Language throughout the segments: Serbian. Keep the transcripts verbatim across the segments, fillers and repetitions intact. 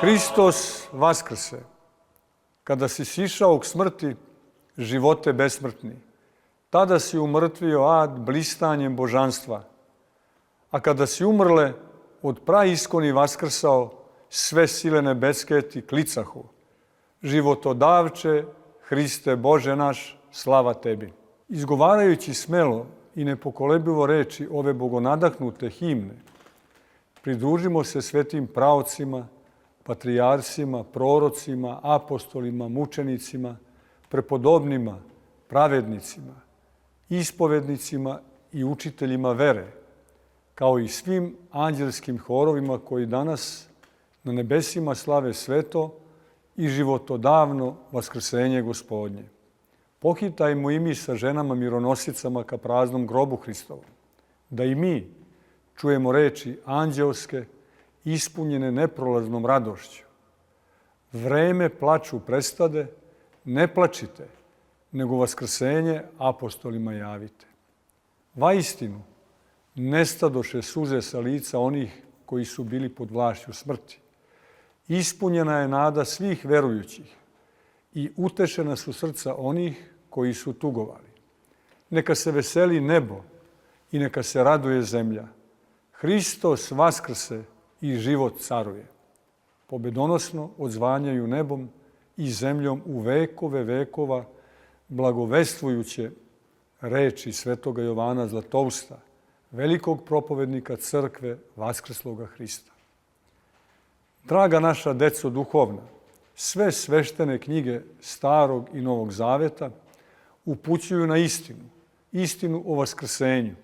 Hristos vaskrse. Kada si sišao k smrti, živote besmrtni. Tada si umrtvio ad blistanjem božanstva. A kada si umrle, od praiskoni vaskrsao, sve sile nebeske ti klicahu. Životodavče, Hriste Bože naš, slava tebi. Izgovarajući smelo i nepokolebivo reči ove bogonadahnute himne, pridružimo se svetim praocima, patrijarsima, prorocima, apostolima, mučenicima, prepodobnima, pravednicima, ispovednicima i učiteljima vere, kao i svim anđelskim horovima koji danas na nebesima slave sveto i životodavno vaskrsenje Gospodnje. Pohitajmo i mi sa ženama mironosicama ka praznom grobu Hristovom, da i mi čujemo reči anđelske, ispunjene neprolaznom radošću. Vreme plaču prestade, ne plačite, nego vaskrsenje apostolima javite. Vaistinu, nestadoše suze sa lica onih koji su bili pod vlašću smrti. Ispunjena je nada svih verujućih i utešena su srca onih koji su tugovali. Neka se veseli nebo i neka se raduje zemlja. Hristos vaskrse i život caruje. Pobedonosno odzvanjaju nebom i zemljom u vekove vekova, blagovestvujuće reči svetoga Jovana Zlatousta, velikog propovednika crkve vaskrsloga Hrista. Draga naša deco duhovna, sve sveštene knjige Starog i Novog Zaveta upućuju na istinu, istinu o vaskrsenju.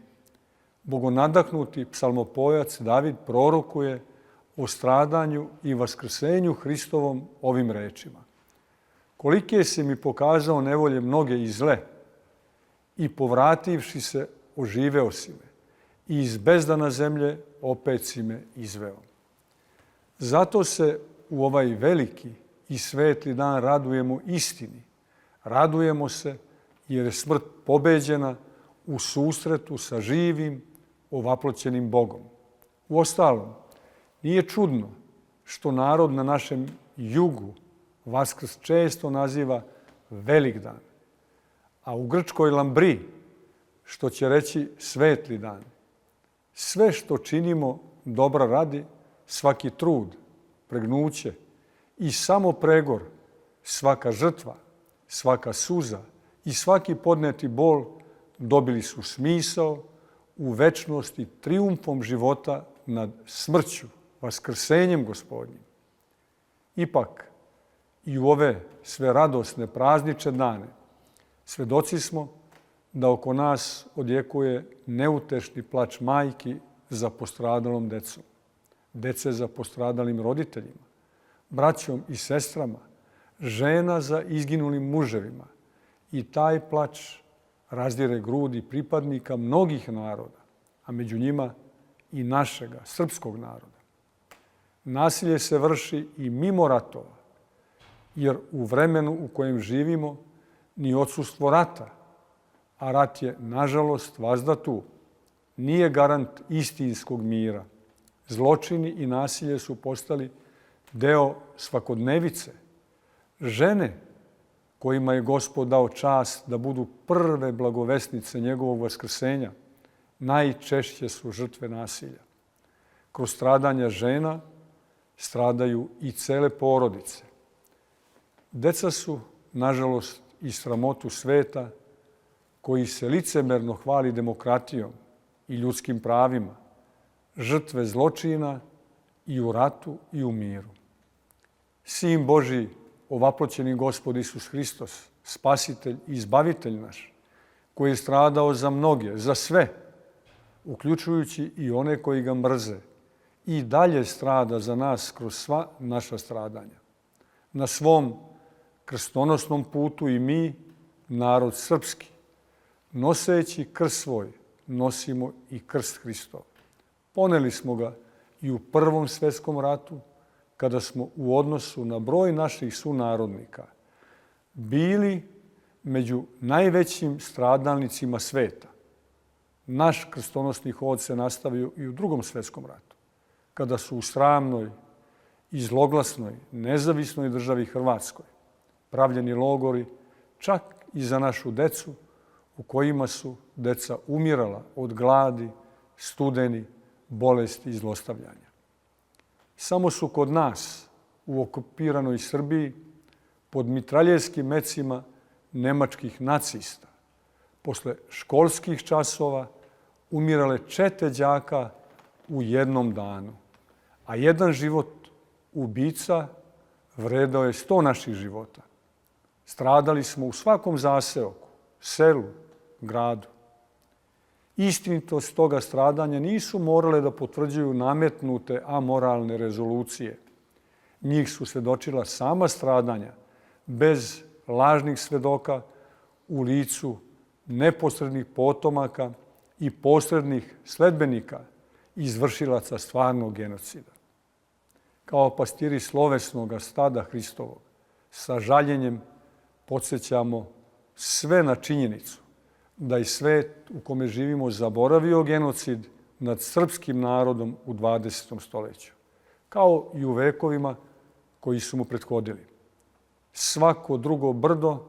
Bogonadahnuti psalmopojac David prorokuje o stradanju i vaskrsenju Hristovom ovim rečima. Kolike si mi pokazao nevolje mnoge i zle, i povrativši se oživeo si me, i iz bezdana zemlje opet si me izveo. Zato se u ovaj veliki i svetli dan radujemo istini. Radujemo se jer je smrt pobeđena u susretu sa živim, ovaploćenim Bogom. Uostalom, nije čudno što narod na našem jugu Vaskrs često naziva Velik dan, a u grčkoj Lambri, što će reći svetli dan. Sve što činimo dobra radi, svaki trud, pregnuće i samo pregor, svaka žrtva, svaka suza i svaki podneti bol dobili su smisao u večnosti trijumfom života nad smrću, vaskrsenjem Gospodnjim. Ipak, i u ove sve radosne praznične dane svedoci smo da oko nas odjekuje neutešni plač majki za postradalom decom, dece za postradalim roditeljima, braćom i sestrama, žena za izginulim muževima. I taj plač razdire grudi pripadnika mnogih naroda, a među njima i našega, srpskog naroda. Nasilje se vrši i mimo ratova, jer u vremenu u kojem živimo ni odsustvo rata, a rat je, nažalost, vazda tu, nije garant istinskog mira. Zločini i nasilje su postali deo svakodnevice. Žene kojima je Gospod dao čast da budu prve blagovesnice njegovog vaskrsenja, najčešće su žrtve nasilja. Kroz stradanja žena stradaju i cele porodice. Deca su, nažalost, i sramotu sveta koji se licemerno hvali demokratijom i ljudskim pravima, žrtve zločina i u ratu i u miru. Sin Božji, ovaploćeni Gospod Isus Hristos, spasitelj i izbavitelj naš, koji je stradao za mnoge, za sve, uključujući i one koji ga mrze, i dalje strada za nas kroz sva naša stradanja. Na svom krstonosnom putu i mi, narod srpski, noseći krst svoj, nosimo i krst Hristov. Poneli smo ga i u Prvom svetskom ratu, kada smo u odnosu na broj naših sunarodnika bili među najvećim stradalnicima sveta. Naš krstonosni hod se nastavio i u Drugom svetskom ratu, kada su u sramnoj i zloglasnoj nezavisnoj državi Hrvatskoj pravljeni logori čak i za našu decu, u kojima su deca umirala od gladi, studeni, bolesti i zlostavljanja. Samo su kod nas, u okupiranoj Srbiji, pod mitraljevskim mecima nemačkih nacista, posle školskih časova umirale čete đaka u jednom danu, a jedan život ubica vredao je sto naših života. Stradali smo u svakom zaseoku, selu, gradu. Istinitost toga stradanja nisu morale da potvrđuju nametnute amoralne rezolucije. Njih su svedočila sama stradanja, bez lažnih svedoka, u licu neposrednih potomaka i posrednih sledbenika izvršilaca stvarnog genocida. Kao pastiri slovesnog stada Hristovog, sa žaljenjem podsjećamo sve na činjenicu da je svet u kome živimo zaboravio genocid nad srpskim narodom u dvadesetom stoljeću, kao i u vekovima koji su mu prethodili. Svako drugo brdo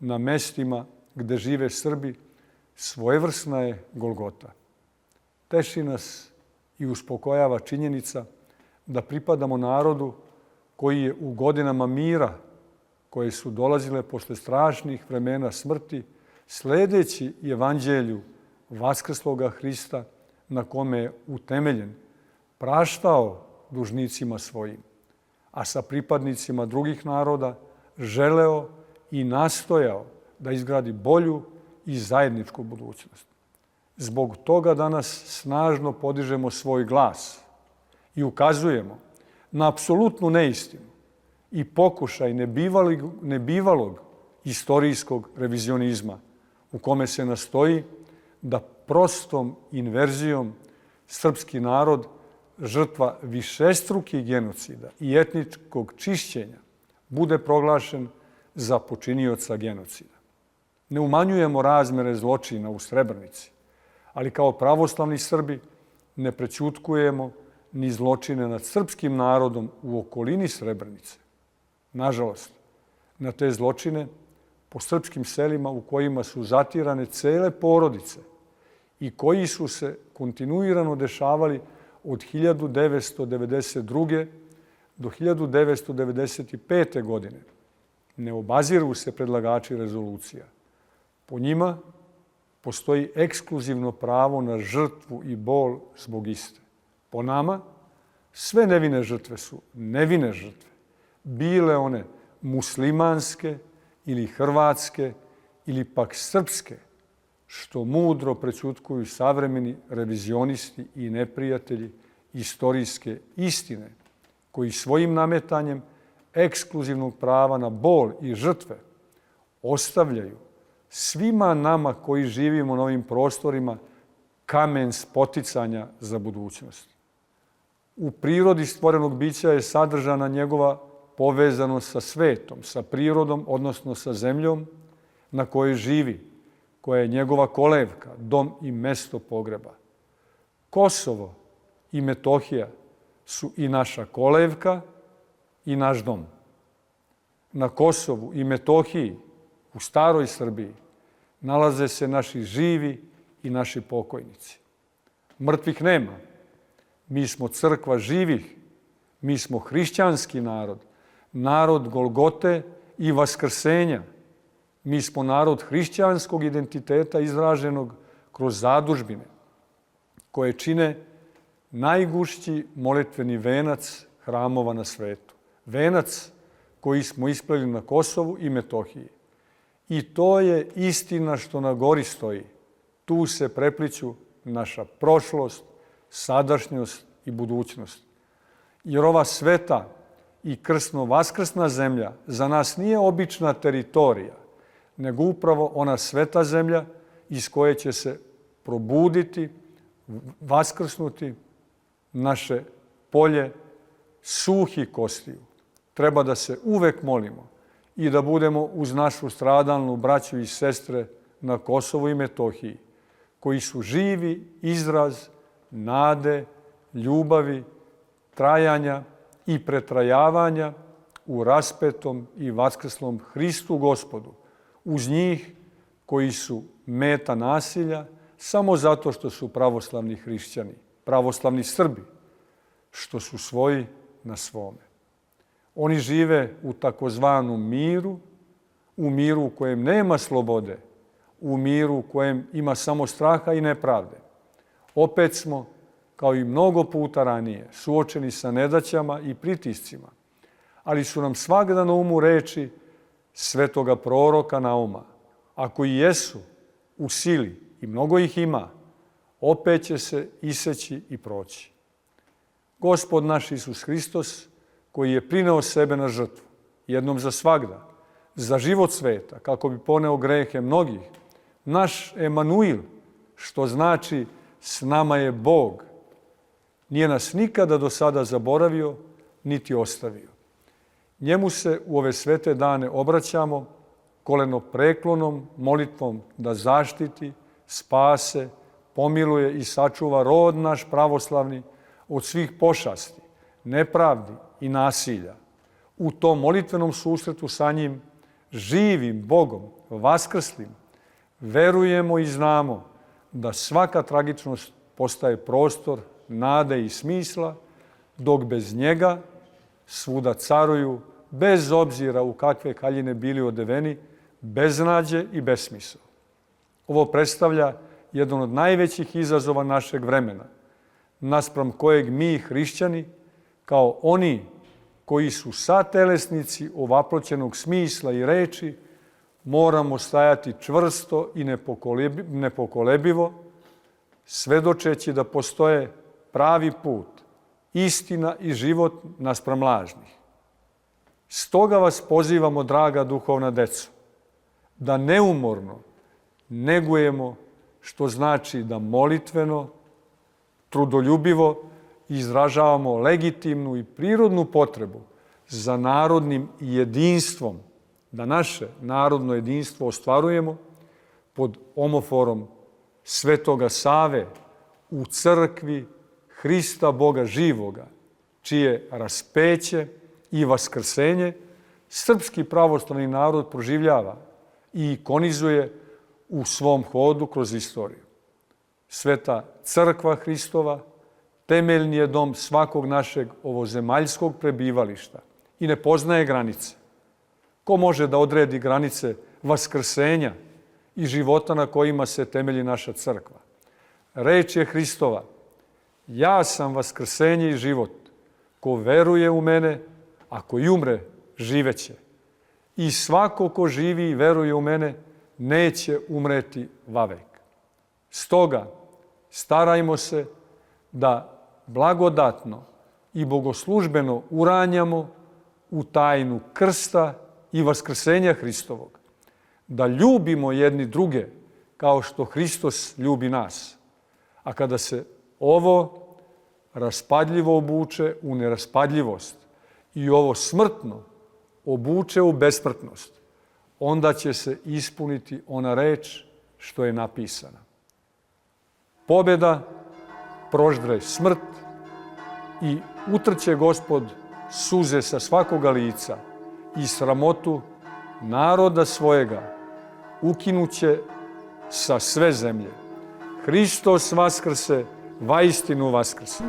na mestima gde žive Srbi svojevrsna je Golgota. Teši nas i uspokojava činjenica da pripadamo narodu koji je u godinama mira, koje su dolazile posle strašnih vremena smrti, sledeći evanđelju vaskrsloga Hrista, na kome je utemeljen, praštao dužnicima svojim, a sa pripadnicima drugih naroda želeo i nastojao da izgradi bolju i zajedničku budućnost. Zbog toga danas snažno podižemo svoj glas i ukazujemo na apsolutnu neistinu i pokušaj nebivalog istorijskog revizionizma u kome se nastoji da prostom inverzijom srpski narod, žrtva višestrukih genocida i etničkog čišćenja, bude proglašen za počinioca genocida. Ne umanjujemo razmere zločina u Srebrenici, ali kao pravoslavni Srbi ne prećutkujemo ni zločine nad srpskim narodom u okolini Srebrenice. Nažalost, na te zločine po srpskim selima u kojima su zatirane cele porodice i koji su se kontinuirano dešavali od hiljadu devetsto devedeset druge do hiljadu devetsto devedeset pete. godine. Ne obaziru se predlagači rezolucija. Po njima postoji ekskluzivno pravo na žrtvu i bol zbog iste. Po nama, sve nevine žrtve su nevine žrtve, bile one muslimanske ili hrvatske ili pak srpske, što mudro prećutkuju savremeni revizionisti i neprijatelji istorijske istine, koji svojim nametanjem ekskluzivnog prava na bol i žrtve ostavljaju svima nama koji živimo na ovim prostorima kamen spoticanja za budućnost. U prirodi stvorenog bića je sadržana njegova povezanost sa svetom, sa prirodom, odnosno sa zemljom na kojoj živi, koja je njegova kolevka, dom i mesto pogreba. Kosovo i Metohija su i naša kolevka i naš dom. Na Kosovu i Metohiji, u staroj Srbiji, nalaze se naši živi i naši pokojnici. Mrtvih nema. Mi smo crkva živih, mi smo hrišćanski narod, narod Golgote i vaskrsenja. Mi smo narod hrišćanskog identiteta izraženog kroz zadužbine, koje čine najgušći molitveni venac hramova na svetu. Venac koji smo ispleli na Kosovu i Metohiji. I to je istina što na gori stoji. Tu se prepliću naša prošlost, sadašnjost i budućnost. Jer ova sveta i krsno-vaskrsna zemlja za nas nije obična teritorija, nego upravo ona sveta zemlja iz koje će se probuditi, vaskrsnuti naše polje suhih kostiju. Treba da se uvek molimo i da budemo uz našu stradalnu braću i sestre na Kosovu i Metohiji, koji su živi izraz nade, ljubavi, trajanja i pretrajavanja u raspetom i vaskrslom Hristu Gospodu, uz njih koji su meta nasilja samo zato što su pravoslavni hrišćani, pravoslavni Srbi, što su svoji na svome. Oni žive u takozvanom miru, u miru u kojem nema slobode, u miru u kojem ima samo straha i nepravde. Opet smo, kao i mnogo puta ranije, suočeni sa nedaćama i pritiscima, ali su nam svagda na umu reči svetoga proroka Nauma. Ako i jesu u sili, i mnogo ih ima, opet će se iseći i proći. Gospod naš Isus Hristos, koji je prineo sebe na žrtvu, jednom za svagda, za život sveta, kako bi poneo grehe mnogih, naš Emanuil, što znači s nama je Bog, nije nas nikada do sada zaboravio, niti ostavio. Njemu se u ove svete dane obraćamo kolenopreklonom molitvom da zaštiti, spase, pomiluje i sačuva rod naš pravoslavni od svih pošasti, nepravdi i nasilja. U tom molitvenom susretu sa njim, živim Bogom, vaskrslim, verujemo i znamo da svaka tragičnost postaje prostor nade i smisla, dok bez njega svuda caruju, bez obzira u kakve haljine bili odeveni, beznađe i besmisao. Ovo predstavlja jedan od najvećih izazova našeg vremena, naspram kojeg mi, hrišćani, kao oni koji su satelesnici ovaploćenog smisla i reči, moramo stajati čvrsto i nepokolebivo, svedočeći da postoje pravi put, istina i život naspram lažnih. Stoga vas pozivamo, draga duhovna deco, da neumorno negujemo, što znači da molitveno, trudoljubivo izražavamo legitimnu i prirodnu potrebu za narodnim jedinstvom, da naše narodno jedinstvo ostvarujemo pod omoforom Svetoga Save u crkvi Hrista Boga živoga, čije raspeće i vaskrsenje srpski pravoslavni narod proživljava i ikonizuje u svom hodu kroz istoriju. Sveta crkva Hristova temeljni je dom svakog našeg ovozemaljskog prebivališta i ne poznaje granice. Ko može da odredi granice vaskrsenja i života na kojima se temelji naša crkva? Reč je Hristova: ja sam vaskrsenje i život. Ko veruje u mene, ako i umre, živeće. I svako ko živi i veruje u mene, neće umreti vavek. Stoga, starajmo se da blagodatno i bogoslužbeno uranjamo u tajnu krsta i vaskrsenja Hristovog, da ljubimo jedni druge kao što Hristos ljubi nas. A kada se ovo raspadljivo obuče u neraspadljivost i ovo smrtno obuče u besmrtnost, onda će se ispuniti ona reč što je napisana. Pobjeda proždre smrt i utrće Gospod suze sa svakoga lica i sramotu naroda svojega ukinuće sa sve zemlje. Hristos vaskrse, vaistinu vaskrse.